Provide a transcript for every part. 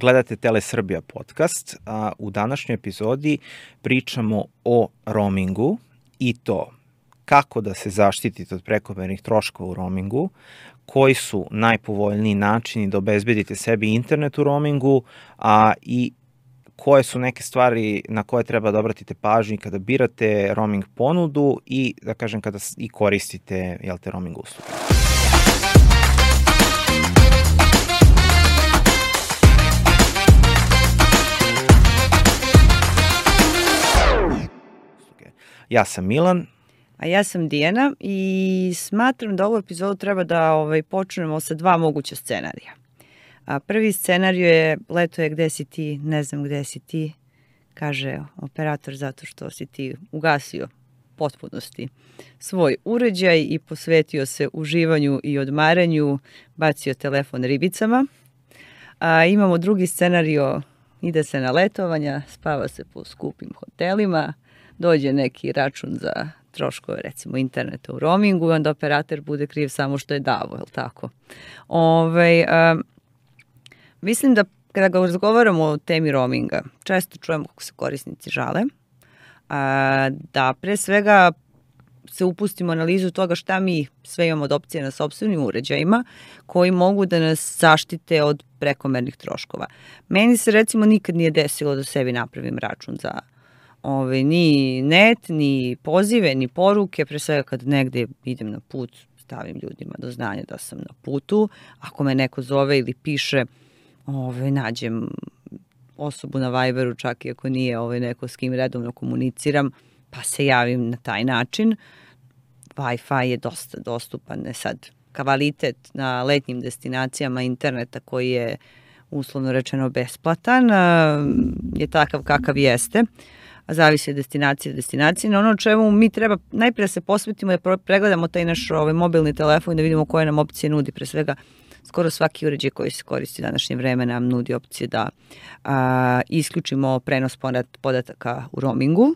Gledate Telesrbija podcast. U današnjoj epizodi pričamo o roamingu i to kako da se zaštitite od prekomernih troškova u roamingu, koji su najpovoljniji načini da obezbedite sebi internet u roamingu, i koje su neke stvari na koje treba da obratite pažnju kada birate roaming ponudu i, da kažem, kada i koristite, roaming usluge. Ja sam Milan. A ja sam Dijana i smatram da ovu epizodu treba da počnemo sa dva moguća scenarija. Prvi scenarij je leto je gde si ti, ne znam gde si ti, kaže operator zato što si ti ugasio potpunosti svoj uređaj i posvetio se uživanju i odmaranju, bacio telefon ribicama. Imamo drugi scenario, ide se na letovanja, spava se po skupim hotelima, dođe neki račun za troškove, recimo, interneta u roamingu i onda operator bude kriv samo što je davo, je li tako? Mislim da kada ga razgovaramo o temi roaminga, često čujemo kako se korisnici žale, da pre svega se upustimo analizu toga šta mi sve imamo od opcije na sopstvenim uređajima koji mogu da nas zaštite od prekomernih troškova. Meni se recimo nikad nije desilo da sebi napravim račun za ni net, ni pozive, ni poruke, pre svega kad negde idem na put, stavim ljudima do znanja da sam na putu. Ako me neko zove ili piše, nađem osobu na Viberu, čak i ako nije neko s kim redovno komuniciram, pa se javim na taj način. Wi-Fi je dosta dostupan. Sad, kvalitet na letnjim destinacijama interneta koji je uslovno rečeno besplatan je takav kakav jeste. Zavisi od destinacije. Na ono čemu mi treba najprije da se posvetimo da pregledamo taj naš mobilni telefon i da vidimo koje nam opcije nudi. Pre svega, skoro svaki uređaj koji se koristi u današnje vreme nam nudi opcije da isključimo prenos podataka u roamingu.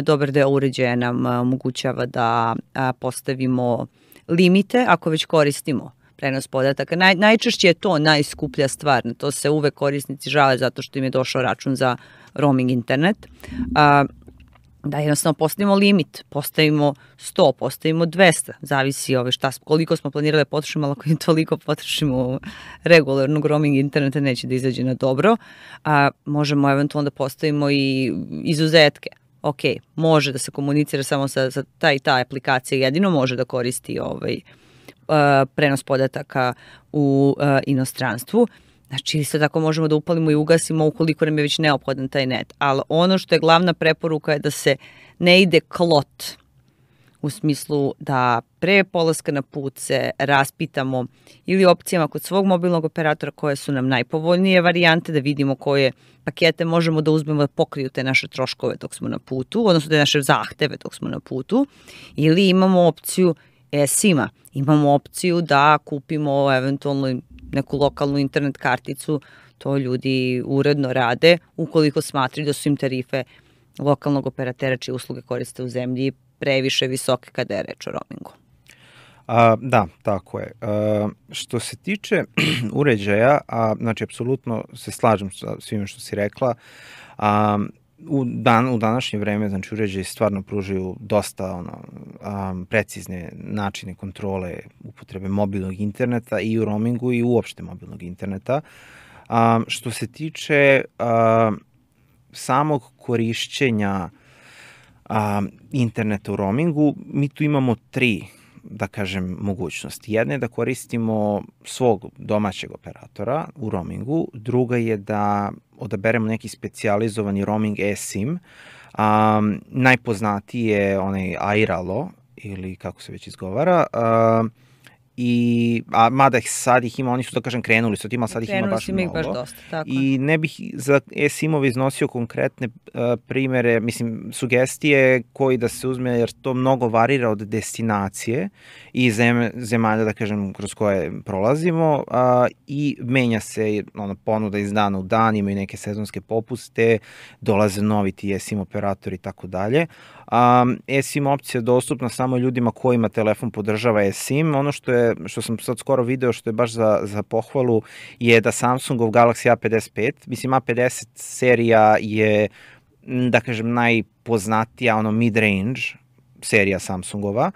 Dobar deo uređaja nam omogućava da postavimo limite ako već koristimo prenos podataka. Najčešće je to najskuplja stvar. Na to se uvek korisnici žale zato što im je došao račun za roaming internet. Da jednostavno postavimo limit, postavimo 100, postavimo 200, zavisi koliko smo planirali da potrošimo, ali ako im toliko potrošimo u regularnog roaming interneta neće da izađe na dobro. Možemo eventualno da postavimo i izuzetke. Ok, može da se komunicira samo sa ta aplikacija, jedino može da koristi prenos podataka u inostranstvu. Znači, isto tako možemo da upalimo i ugasimo ukoliko nam je već neophodan taj net. Ali ono što je glavna preporuka je da se ne ide klot, u smislu da pre polaska na put se raspitamo ili opcijama kod svog mobilnog operatora koje su nam najpovoljnije varijante, da vidimo koje pakete možemo da uzmemo da pokriju te naše troškove dok smo na putu, odnosno te naše zahteve dok smo na putu, ili imamo opciju eSIM-a. Imamo opciju da kupimo eventualno neku lokalnu internet karticu, to ljudi uredno rade, ukoliko smatraju da su im tarife lokalnog operatera čije usluge koriste u zemlji previše visoke kada je reč o roamingu. Da, tako je. Što se tiče uređaja, znači, apsolutno se slažem sa svime što si rekla. U današnje vreme, znači, uređaji stvarno pružaju dosta precizne načine kontrole upotrebe mobilnog interneta i u roamingu i uopšte mobilnog interneta. Što se tiče samog korišćenja interneta u roamingu, mi tu imamo tri, da kažem, mogućnosti. Jedna je da koristimo svog domaćeg operatora u roamingu, druga je da odaberemo neki specijalizovani roaming eSIM. Najpoznatiji je onaj Airalo, ili kako se već izgovara, mada sad ih ima, oni su, da kažem, krenuli su tim, sad ih ima baš mnogo. Dosta, tako. I ne bih za eSIM-ove iznosio konkretne primere, mislim, sugestije koji da se uzme, jer to mnogo varira od destinacije i zemalja, da kažem, kroz koje prolazimo, i menja se ponuda iz dana u dan, imaju neke sezonske popuste, dolaze novi ti eSIM operatori i tako dalje. eSIM opcija je dostupna samo ljudima kojima telefon podržava eSIM. Ono što je što sam sad skoro video, što je baš za pohvalu, je da Samsungov Galaxy A55, mislim A50 serija je, da kažem, najpoznatija mid-range serija Samsungova,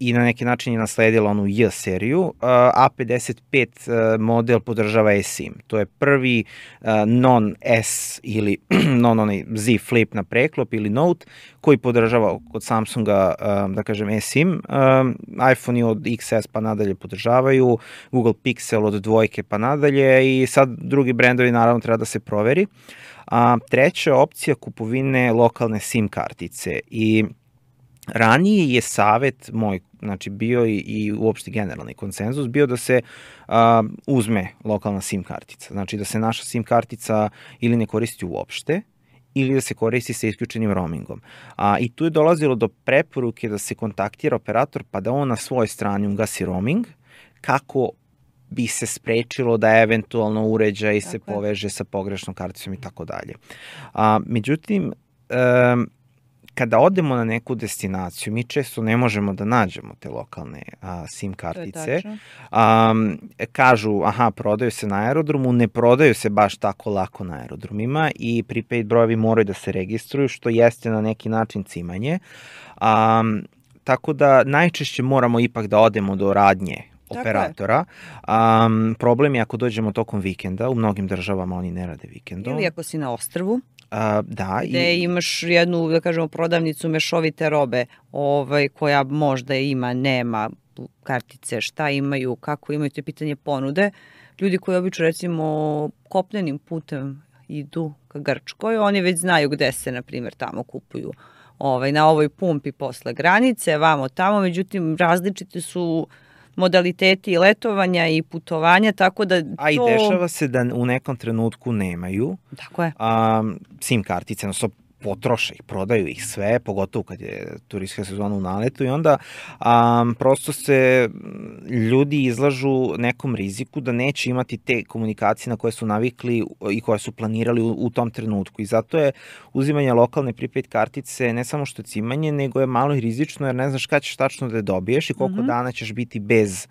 i na neki način je nasledila onu J seriju. A55 model podržava eSIM. To je prvi non-S ili non-onaj Z Flip na preklop ili Note koji podržava kod Samsunga, da kažem, eSIM. iPhone od XS pa nadalje podržavaju, Google Pixel od 2 pa nadalje i sad drugi brendovi naravno treba da se proveri. Treća opcija kupovine lokalne SIM kartice i ranije je savet moj, znači bio i uopšte generalni konsenzus, bio da se uzme lokalna SIM kartica. Znači da se naša SIM kartica ili ne koristi uopšte, ili da se koristi sa isključenim roamingom. I tu je dolazilo do preporuke da se kontaktira operator pa da on na svojoj strani ugasi roaming, kako bi se sprečilo da eventualno uređaj se poveže sa pogrešnom karticom i tako dalje. Međutim, kada odemo na neku destinaciju, mi često ne možemo da nađemo te lokalne SIM kartice. Kažu, prodaju se na aerodromu, ne prodaju se baš tako lako na aerodromima i prepaid brojevi moraju da se registruju, što jeste na neki način cimanje. Tako da najčešće moramo ipak da odemo do radnje operatora. Problem je ako dođemo tokom vikenda, u mnogim državama oni ne rade vikendom. Ili ako si na ostrvu. Da. Gde imaš jednu, da kažemo, prodavnicu mešovite robe koja možda ima, nema kartice, šta imaju, kako imaju, to je pitanje ponude. Ljudi koji obično, recimo, kopnenim putem idu ka Grčkoj, oni već znaju gde se, na primjer, tamo kupuju na ovoj pumpi posle granice, vamo tamo, međutim, različite su modaliteti letovanja i putovanja, tako da i dešava se da u nekom trenutku nemaju SIM kartice, odnosno potroše ih, prodaju ih sve, pogotovo kad je turistička sezona u naletu i onda prosto se ljudi izlažu nekom riziku da neće imati te komunikacije na koje su navikli i koje su planirali u tom trenutku i zato je uzimanje lokalne prepaid kartice ne samo što je cimanje, nego je malo i rizično jer ne znaš kada ćeš tačno da je dobiješ i koliko dana ćeš biti bez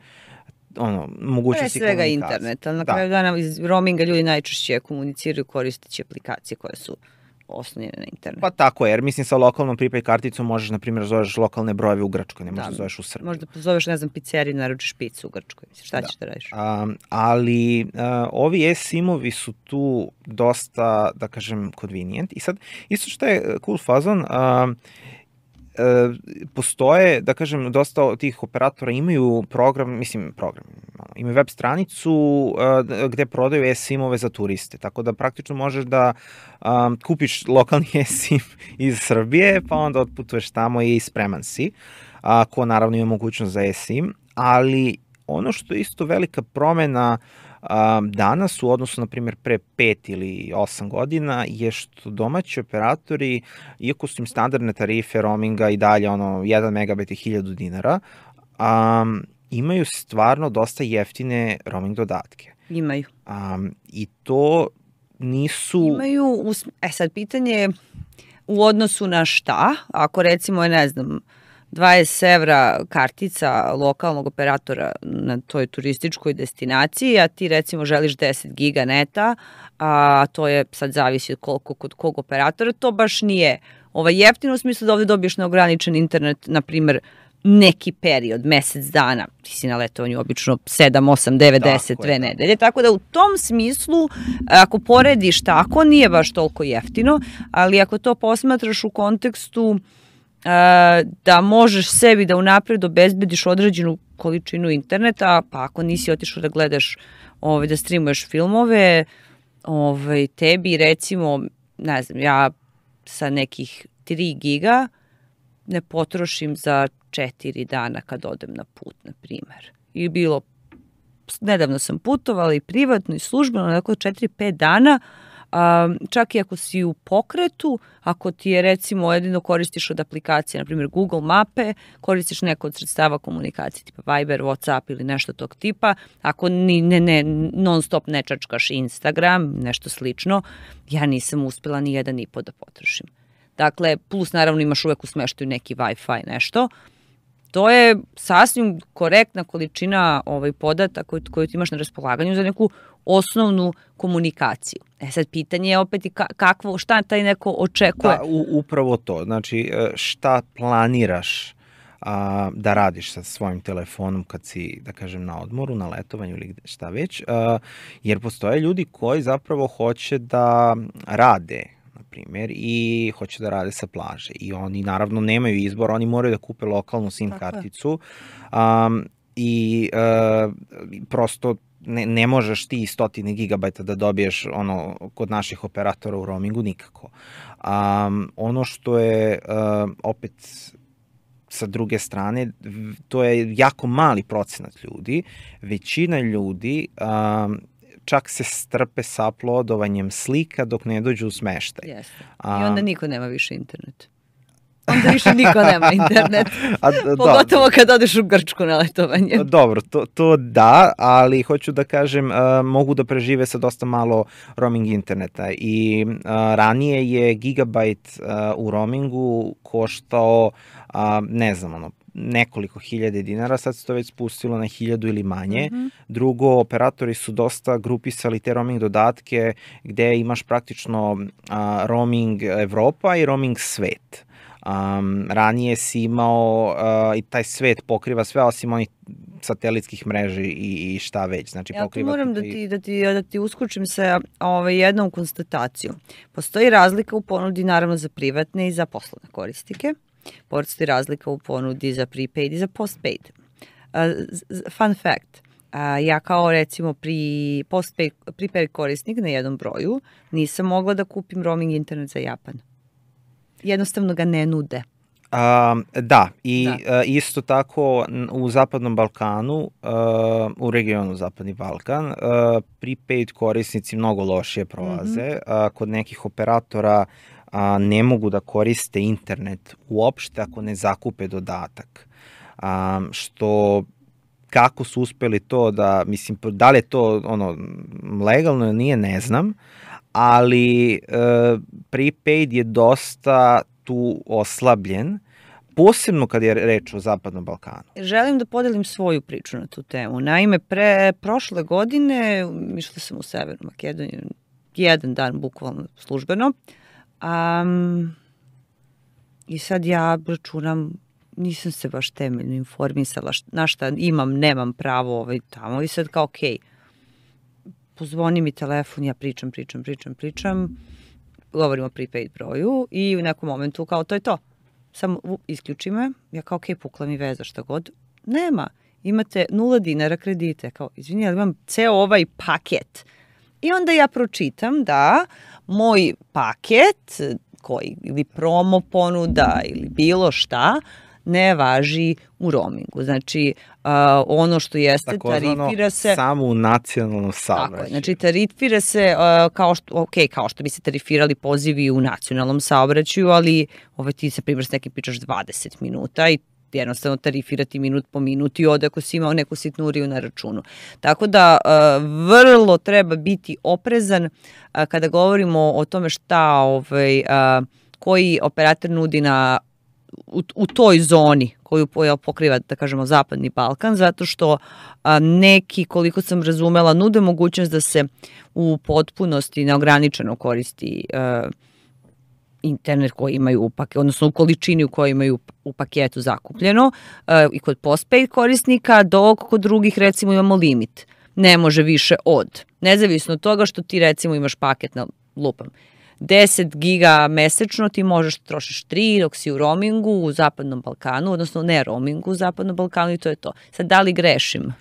mogućnosti komunikacije. Pre svega internet, ali na kraju dana iz roaminga ljudi najčešće komuniciraju koristeći aplikacije koje su oslonjene na internet. Pa tako je, jer mislim sa lokalnom prepaid karticom možeš, na primjer, zoveš lokalne brojeve u Grčkoj, ne možeš da zoveš u Srbiji. Možda pozoveš, ne znam, pizzeriju, naručiš picu u Grčkoj. Šta ćeš da radiš? Ali ovi eSIM-ovi su tu dosta, da kažem, convenient. I sad, isto što je cool fazon, postoje, da kažem, dosta tih operatora imaju imaju web stranicu gde prodaju eSIM-ove za turiste, tako da praktično možeš da kupiš lokalni eSIM iz Srbije, pa onda otputuješ tamo i spreman si, ko naravno ima mogućnost za eSIM, ali ono što je isto velika promena danas u odnosu, na primjer, pre 5 ili 8 godina je što domaći operatori, iako su im standardne tarife roaminga i dalje 1 megabit i 1000 dinara, imaju stvarno dosta jeftine roaming dodatke. Imaju. I to nisu... Imaju, sad pitanje je u odnosu na šta, ako recimo je, ne znam, 20 evra kartica lokalnog operatora na toj turističkoj destinaciji, a ti recimo želiš 10 giga neta, a to je sad zavisi koliko kod kog operatora, to baš nije jeftino u smislu da ovde dobiješ neograničen internet, na primjer, neki period, mesec dana, ti si na letovanju obično 7, 8, 9, 10, 2 nedelje, tako da u tom smislu, ako porediš tako, nije baš toliko jeftino, ali ako to posmatraš u kontekstu da možeš sebi da unapred obezbediš određenu količinu interneta, pa ako nisi otišao da gledaš, da streamuješ filmove, tebi recimo, ne znam, ja sa nekih 3 giga ne potrošim za 4 dana kad odem na put, na primer. I bilo, nedavno sam putovala i privatno i službeno, nekako 4-5 dana, čak i ako si u pokretu, ako ti je recimo jedino koristiš od aplikacije, na primjer Google mape, koristiš neko od sredstava komunikacije tipa Viber, Whatsapp ili nešto tog tipa, ako non stop ne čačkaš Instagram, nešto slično, ja nisam uspela ni 1,5 da potrošim. Dakle, plus naravno imaš uvek u smeštaju neki Wi-Fi nešto to je sasvim korektna količina podataka koju ti imaš na raspolaganju za neku osnovnu komunikaciju. Sad pitanje je opet i šta taj neko očekuje. Da, upravo to. Znači, šta planiraš da radiš sa svojim telefonom kad si, da kažem, na odmoru, na letovanju ili šta već, jer postoje ljudi koji zapravo hoće da rade, na primjer, i hoće da rade sa plaže i oni naravno nemaju izbor, oni moraju da kupe lokalnu SIM karticu i prosto ne možeš ti 100 gigabajta da dobiješ kod naših operatora u roamingu nikako. Ono što je opet sa druge strane, to je jako mali procenat ljudi. Većina ljudi čak se strpe sa uploadovanjem slika dok ne dođu u smeštaj. Jeste. I onda niko nema više internet. Onda više niko nema internet. Pogotovo kad odeš u Grčku na letovanje. Dobro, to da, ali hoću da kažem, mogu da prežive sa dosta malo roaming interneta i ranije je gigabajt u roamingu koštao, ne znam, nekoliko hiljade dinara, sad se to već spustilo na 1000 ili manje. Drugo, operatori su dosta grupisali te roaming dodatke gde imaš praktično roaming Evropa i roaming svet. Ranije si imao i taj svet pokriva sve osim onih satelitskih mreži i šta već. Znači, ja tu moram da ti uskočim sa jednom konstatacijom. Postoji razlika u ponudi naravno za privatne i za poslovne korisnike. Postoji razlika u ponudi za prepaid i za postpaid. Fun fact, ja kao recimo prepaid korisnik na jednom broju nisam mogla da kupim roaming internet za Japan. Jednostavno ga ne nude. Da, i isto tako u Zapadnom Balkanu, u regionu Zapadni Balkan, prepaid korisnici mnogo lošije prolaze. Kod nekih operatora ne mogu da koriste internet uopšte ako ne zakupe dodatak. Što, kako su uspeli to da, mislim, da li je to legalno ili nije, ne znam, ali prepaid je dosta tu oslabljen, posebno kad je reč o Zapadnom Balkanu. Želim da podelim svoju priču na tu temu. Naime, prošle godine išla sam u Severnu Makedoniju, jedan dan bukvalno službeno, i sad ja računam, nisam se baš temeljno informisala na šta imam, nemam pravo tamo i sad kao okej. Pozvoni mi telefon, ja pričam, govorim o prepaid broju i u nekom momentu kao to je to. Samo isključi me, ja kao okej, pukla mi veza, šta god. Nema, imate 0 dinara kredite. Kao, izvini, ali imam ceo ovaj paket. I onda ja pročitam da moj paket, ili promo ponuda ili bilo šta, ne važi u roamingu. Znači, ono što jeste, tarifira se... Samo u nacionalnom saobraćaju. Tako je, znači tarifira se kao što bi se tarifirali pozivi u nacionalnom saobraćaju, ali ti se primjer s nekim pričaš 20 minuta i jednostavno tarifirati minut po minut i ode ako si imao neku sitnuriju na računu. Tako da vrlo treba biti oprezan kada govorimo o tome šta koji operator nudi u toj zoni koju pokriva, da kažemo, Zapadni Balkan, zato što neki, koliko sam razumela, nude mogućnost da se u potpunosti neograničeno koristi internet koji imaju u paketu, odnosno u količini u kojoj imaju u paketu zakupljeno i kod postpaid korisnika, dok kod drugih recimo imamo limit. Ne može više od. Nezavisno od toga što ti recimo imaš paket na lupam 10 giga mesečno, ti možeš trošiš 3 dok si u roamingu u Zapadnom Balkanu, odnosno ne roamingu u Zapadnom Balkanu i to je to. Sad, da li grešim?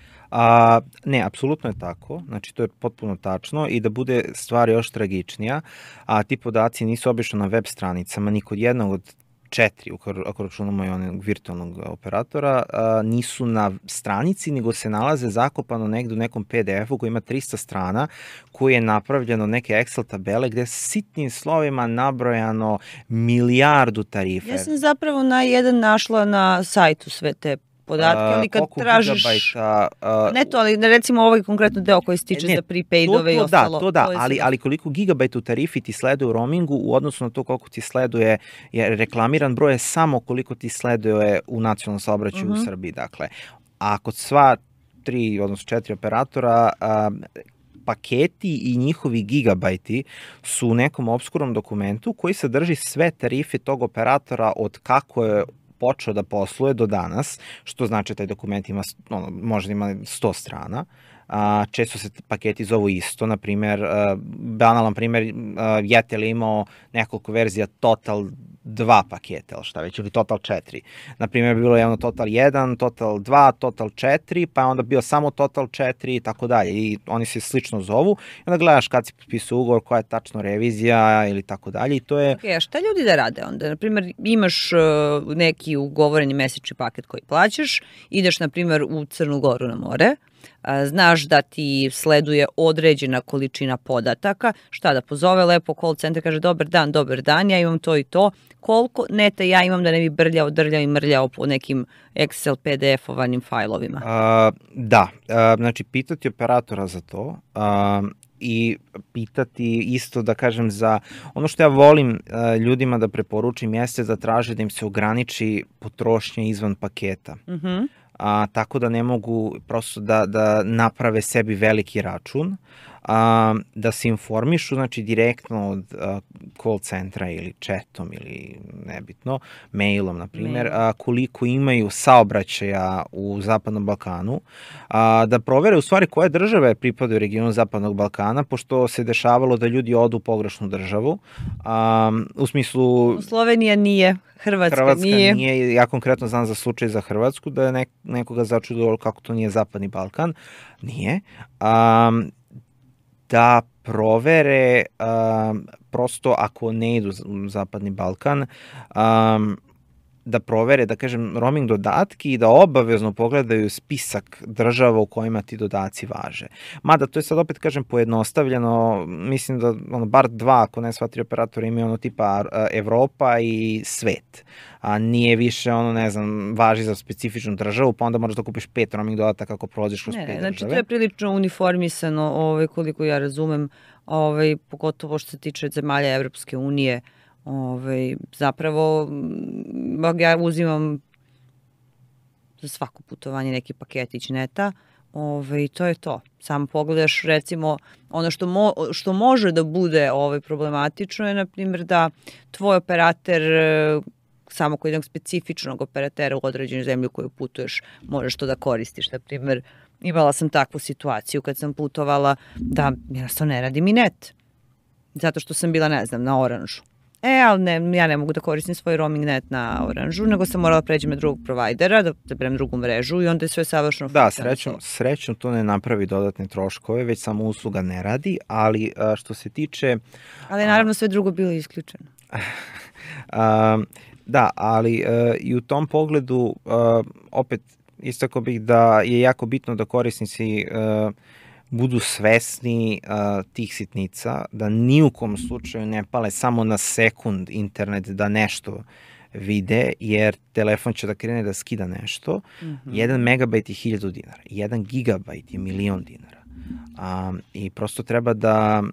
Ne, apsolutno je tako, znači to je potpuno tačno i da bude stvar još tragičnija, a ti podaci nisu obično na web stranicama, ni kod jednog od 4, ako računamo i onog virtualnog operatora, nisu na stranici, nego se nalaze zakopano negde u nekom PDF-u koji ima 300 strana, koji je napravljeno neke Excel tabele gde je sitnim slovima nabrojano milijardu tarife. Ja sam zapravo našla na sajtu sve te podatke, ali kad koliko tražiš... gigabajta... Ne to, ali recimo ovaj konkretno deo koji se tiče za prepaidove i ostalo. To da, ali koliko gigabajta u tarifi ti sleduje u roamingu u odnosu na to koliko ti sleduje, jer reklamiran broj je samo koliko ti sleduje u nacionalnom saobraćaju u Srbiji. Dakle, a kod sva 3, odnosno 4 operatora, paketi i njihovi gigabajti su u nekom obskurnom dokumentu koji sadrži sve tarife tog operatora od kako je počeo da posluje do danas, što znači taj dokument ima, možda ima 100 strana. Često se paketi zovu isto, na primjer, banalan primjer, Jetel je imao nekoliko verzija Total 2 paketa, ili šta već, ili Total 4. Na primjer, bilo je ono Total 1, Total 2, Total 4, pa je onda bio samo Total 4 i tako dalje. I oni se slično zovu. I onda gledaš kad si potpisao ugovor, koja je tačno revizija ili tako dalje. I to je... Ok, a šta ljudi da rade onda? Na primjer, imaš neki ugovoreni mesečni paket koji plaćaš, ideš, na primjer, u Crnu Goru na more, znaš da ti sleduje određena količina podataka, šta da pozove lepo call center, kaže dobar dan, ja imam to i to, koliko neta ja imam da ne bi drljao i mrljao po nekim Excel, PDF-ovanim fajlovima? Da, znači pitati operatora za to i pitati isto, da kažem, za ono što ja volim ljudima da preporučim jeste da traže da im se ograniči potrošnja izvan paketa. Tako da ne mogu prosto da naprave sebi veliki račun, da se informišu, znači direktno od call centra ili chatom ili nebitno, mailom na primjer, koliko imaju saobraćaja u Zapadnom Balkanu, da provere u stvari koje države pripadaju regionu Zapadnog Balkana, pošto se dešavalo da ljudi odu u pogrešnu državu, u smislu... Slovenija nije, Hrvatska nije. Ja konkretno znam za slučaj za Hrvatsku, da je nekoga začudilo kako to nije Zapadni Balkan. Nije. Da provere, prosto ako ne idu u Zapadni Balkan, da provere, da kažem, roaming dodatki i da obavezno pogledaju spisak država u kojima ti dodaci važe. Mada to je sad opet, kažem, pojednostavljeno, mislim da bar 2, ako ne sva 3 operatora imaju tipa Evropa i svet. Nije više ne znam, važi za specifičnu državu, pa onda moraš da kupiš 5 roaming dodataka ako prolaziš kroz 5 države. Znači to je prilično uniformisano, koliko ja razumem, pogotovo što se tiče zemalja Evropske unije. Zapravo ja uzimam za svako putovanje neki paketić neta, i to je to. Samo pogledaš, recimo, ono što može da bude problematično je, na primjer, da tvoj operater, samo kod jednog specifičnog operatera u određenoj zemlji u koju putuješ, možeš to da koristiš. Na primjer, imala sam takvu situaciju kad sam putovala da jednostavno ne radi mi net, zato što sam bila, ne znam, na Oranžu. Ali ja ne mogu da koristim svoj roaming net na Oranžu, nego sam morala pređem na drugog provajdera, da berem drugu mrežu i onda je sve savršeno funkcionalno. Da, srećno to ne napravi dodatne troškove, već samo usluga ne radi, ali što se tiče... Ali naravno sve drugo bilo isključeno. Da, ali i u tom pogledu opet istako bih da je jako bitno da korisnici budu svesni tih sitnica, da ni u kom slučaju ne pale samo na sekund internet da nešto vide, jer telefon će da krene da skida nešto. 1 megabajt je 1000 dinara, 1 gigabajt je 1.000.000 dinara. I prosto treba da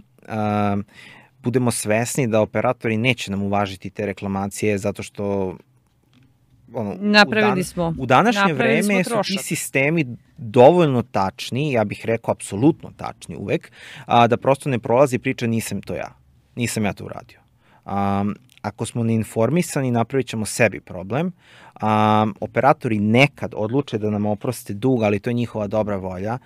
budemo svesni da operatori neće nam uvažiti te reklamacije zato što u današnje vreme su ti sistemi dovoljno tačni, ja bih rekao apsolutno tačni uvek, da prosto ne prolazi priča nisam ja to uradio. Ako smo neinformisani, napravit ćemo sebi problem. Operatori nekad odluče da nam oproste dug, ali to je njihova dobra volja.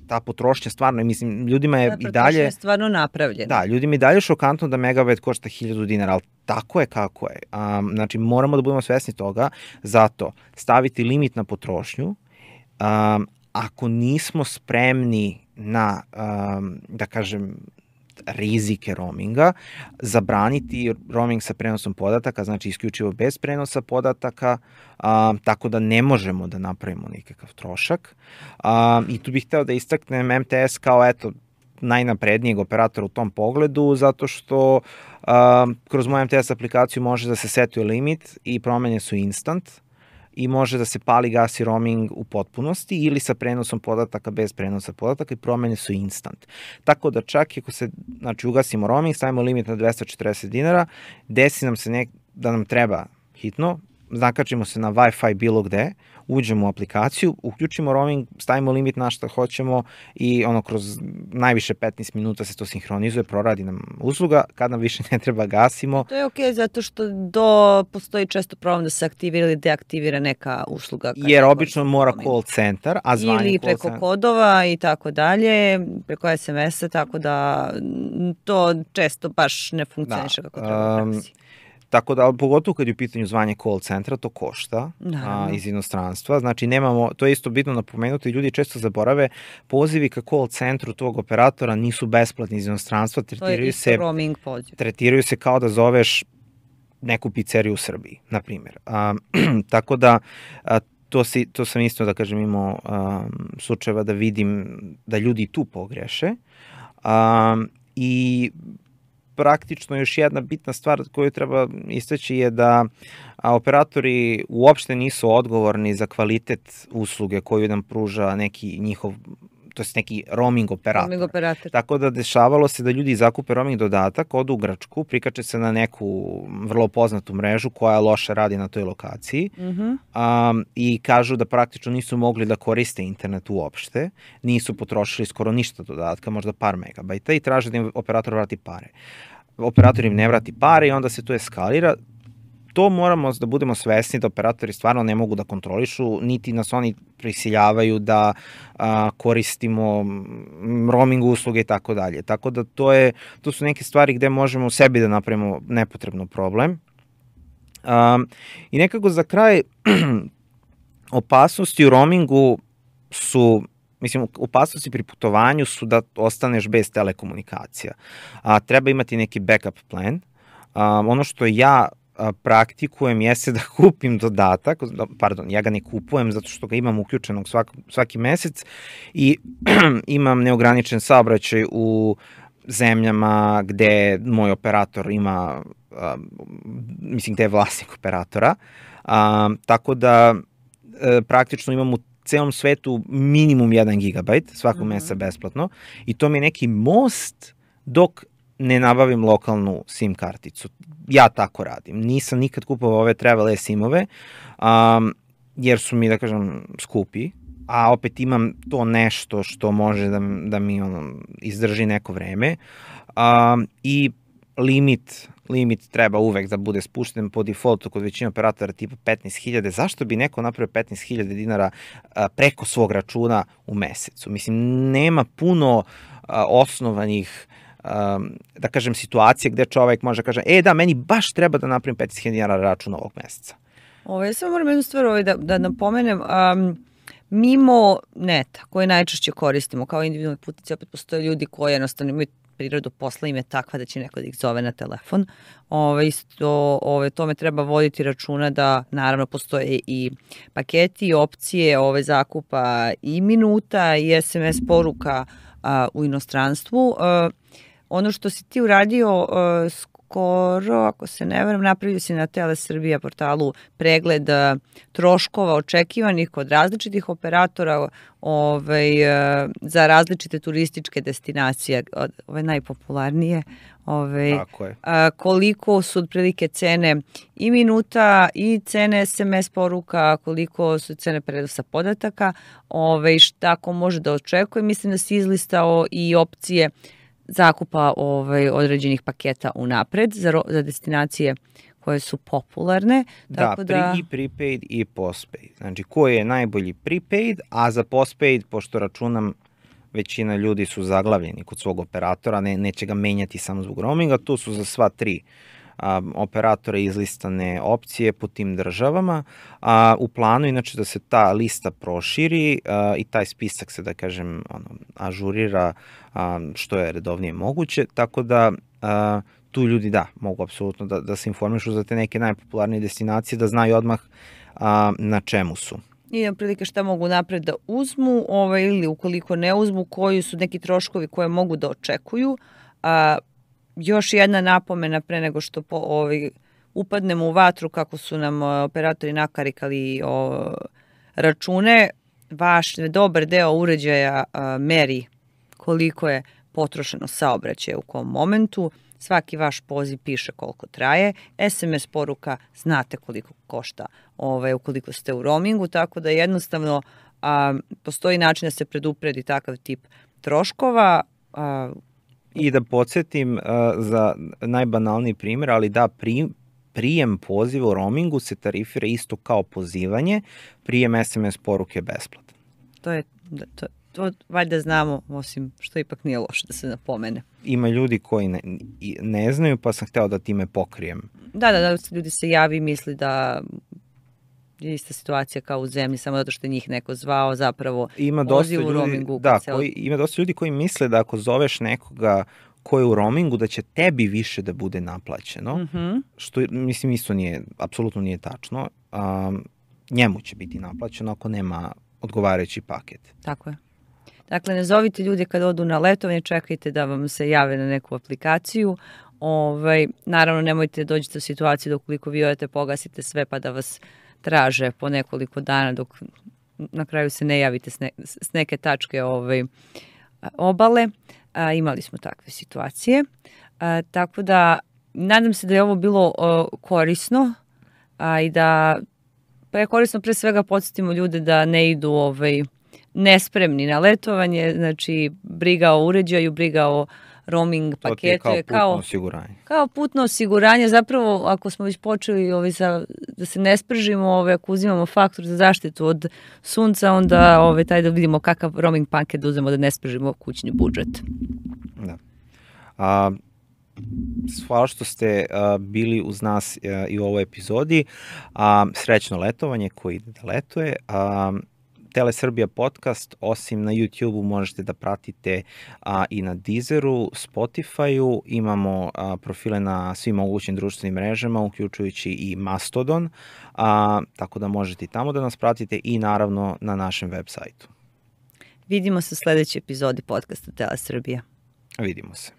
Ta potrošnja stvarno, mislim, ljudima je i dalje... Potrošnja je stvarno napravljena. Da, ljudima je dalje šokantno da megabajt košta 1000 dinara, ali tako je kako je. Znači, moramo da budemo svesni toga, zato staviti limit na potrošnju. Ako nismo spremni na, da kažem, rizike roaminga, zabraniti roaming sa prenosom podataka, znači isključivo bez prenosa podataka, tako da ne možemo da napravimo nikakav trošak. I tu bih hteo da istaknem MTS kao najnaprednijeg operatora u tom pogledu, zato što kroz moju MTS aplikaciju može da se setuje limit i promene su instant i može da se pali, gasi roaming u potpunosti ili sa prenosom podataka bez prenosa podataka i promene su instant. Tako da čak ako se, znači, ugasimo roaming, stavimo limit na 240 dinara, desi nam se da nam treba hitno, zakačimo se na Wi-Fi bilo gde, uđemo u aplikaciju, uključimo roaming, stavimo limit na šta hoćemo i kroz najviše 15 minuta se to sinhronizuje, proradi nam usluga, kad nam više ne treba gasimo. To je okej, zato što postoji često problem da se aktivira ili deaktivira neka usluga. Jer obično mora call centar, a zvanje ili preko kodova i tako dalje, preko SMS-a, tako da to često baš ne funkcioniše kako treba u praksi. Tako da, pogotovo kad je u pitanju zvanje call centra, to košta iz inostranstva. Znači, to je isto bitno napomenuti, ljudi često zaborave, pozivi ka call centru tog operatora nisu besplatni iz inostranstva, tretiraju se kao da zoveš neku pizzeriju u Srbiji, na primjer. Tako da, to sam isto, da kažem, imao slučajeva da vidim da ljudi tu pogreše i praktično još jedna bitna stvar koju treba istaći je da operatori uopšte nisu odgovorni za kvalitet usluge koju nam pruža neki njihov, to je neki roaming operator. Tako da dešavalo se da ljudi zakupe roaming dodatak, odu u Grčku, prikače se na neku vrlo poznatu mrežu koja loše radi na toj lokaciji i kažu da praktično nisu mogli da koriste internet uopšte, nisu potrošili skoro ništa dodatka, možda par megabajta i traže da im operator vrati pare. Operator im ne vrati pare i onda se to eskalira. To moramo da budemo svesni da operatori stvarno ne mogu da kontrolišu, niti nas oni prisiljavaju da koristimo roaming usluge i tako dalje. Tako da to su neke stvari gde možemo sebi da napravimo nepotrebno problem. I nekako za kraj, opasnosti u roamingu su, opasnosti pri putovanju su da ostaneš bez telekomunikacija. Treba imati neki backup plan. Ono što ja praktikujem jeste da kupim dodatak, ja ga ne kupujem zato što ga imam uključenog svaki mesec i imam neograničen saobraćaj u zemljama gde moj operator ima, gde je vlasnik operatora, tako da praktično imam u celom svetu minimum 1 gigabajt svakog meseca besplatno i to mi je neki most dok ne nabavim lokalnu SIM karticu. Ja tako radim. Nisam nikad kupovao ove travel SIM-ove, jer su mi, da kažem, skupi, a opet imam to nešto što može da mi izdrži neko vreme. I limit treba uvek da bude spušten po defaultu kod većine operatora tipa 15.000. Zašto bi neko napravio 15.000 dinara preko svog računa u mesecu? Mislim, nema puno osnovanih da kažem situacije gde čovek može da kaže da, meni baš treba da napravim 15.000 dinara račun ovog meseca. Ja samo moram jednu stvar da napomenem. Mimo neta koje najčešće koristimo kao individualni putnici, opet postoje ljudi koji jednostavno imaju prirodu posla, im je takva da će neko da ih zove na telefon. Tome treba voditi računa da naravno postoje i paketi i opcije zakupa i minuta i SMS poruka u inostranstvu. Ono što si ti uradio skoro, ako se ne varam, napravio si na Tele Srbija portalu pregled troškova očekivanih kod različitih operatora za različite turističke destinacije, ove najpopularnije. Koliko su otprilike cene i minuta i cene SMS poruka, koliko su cene prenosa podataka, šta ko može da očekuje. Mislim da si izlistao i opcije zakupa određenih paketa unapred za destinacije koje su popularne. I prepaid i postpaid. Znači, koji je najbolji prepaid, a za postpaid, pošto računam većina ljudi su zaglavljeni kod svog operatora, neće ga menjati samo zbog roaminga, tu su za sva 3 operatora izlistane opcije po tim državama. U planu, inače, da se ta lista proširi i taj spisak se, da kažem, ažurira što je redovnije moguće, tako da tu ljudi, mogu apsolutno da se informišu za te neke najpopularnije destinacije, da znaju odmah na čemu su. I prilike šta mogu napred da uzmu ili ukoliko ne uzmu, koji su neki troškovi koje mogu da očekuju. Još jedna napomena pre nego što upadnemo u vatru kako su nam operatori nakarikali račune, vaš dobar deo uređaja meri koliko je potrošeno saobraćaja u kom momentu, svaki vaš poziv piše koliko traje, SMS poruka znate koliko košta ukoliko ste u roamingu, tako da jednostavno postoji način da se predupredi takav tip troškova. I da podsjetim za najbanalniji primjer, ali da prijem poziva u roamingu se tarifira isto kao pozivanje, prijem SMS poruke je besplatan. To valjda znamo, osim što ipak nije loše da se napomene. Ima ljudi koji ne znaju, pa sam hteo da time pokrijem. Da, ljudi se javi i misli da je ista situacija kao u zemlji, samo zato što je njih neko zvao, zapravo poziv u roamingu. Ima dosta ljudi koji misle da ako zoveš nekoga ko je u roamingu, da će tebi više da bude naplaćeno, što mislim isto apsolutno nije tačno. Njemu će biti naplaćeno ako nema odgovarajući paket. Tako je. Dakle, ne zovite ljude kad odu na letovanje, čekajte da vam se jave na neku aplikaciju. Naravno, nemojte dođite u situaciju da ukoliko vi odete pogasite sve pa da vas traže po nekoliko dana dok na kraju se ne javite s neke tačke obale. Imali smo takve situacije. Tako da, nadam se da je ovo bilo korisno i da je korisno pre svega podsjetimo ljude da ne idu nespremni na letovanje, znači briga o uređaju, briga o roaming paketu je kao putno osiguranje. Kao putno osiguranje, zapravo ako smo već počeli da se ne spržimo, ako uzimamo faktor za zaštitu od sunca, onda taj da vidimo kakav roaming paket da uzmemo da ne spržimo kućni budžet. Da. Hvala što ste bili uz nas i u ovoj epizodi. Srećno letovanje koji ide da letuje. Telesrbija podcast, osim na YouTube-u možete da pratite i na Deezeru, Spotify-u, imamo profile na svim mogućim društvenim mrežama, uključujući i Mastodon, tako da možete i tamo da nas pratite i naravno na našem web sajtu. Vidimo se u sledećoj epizodi podcasta Telesrbija. Vidimo se.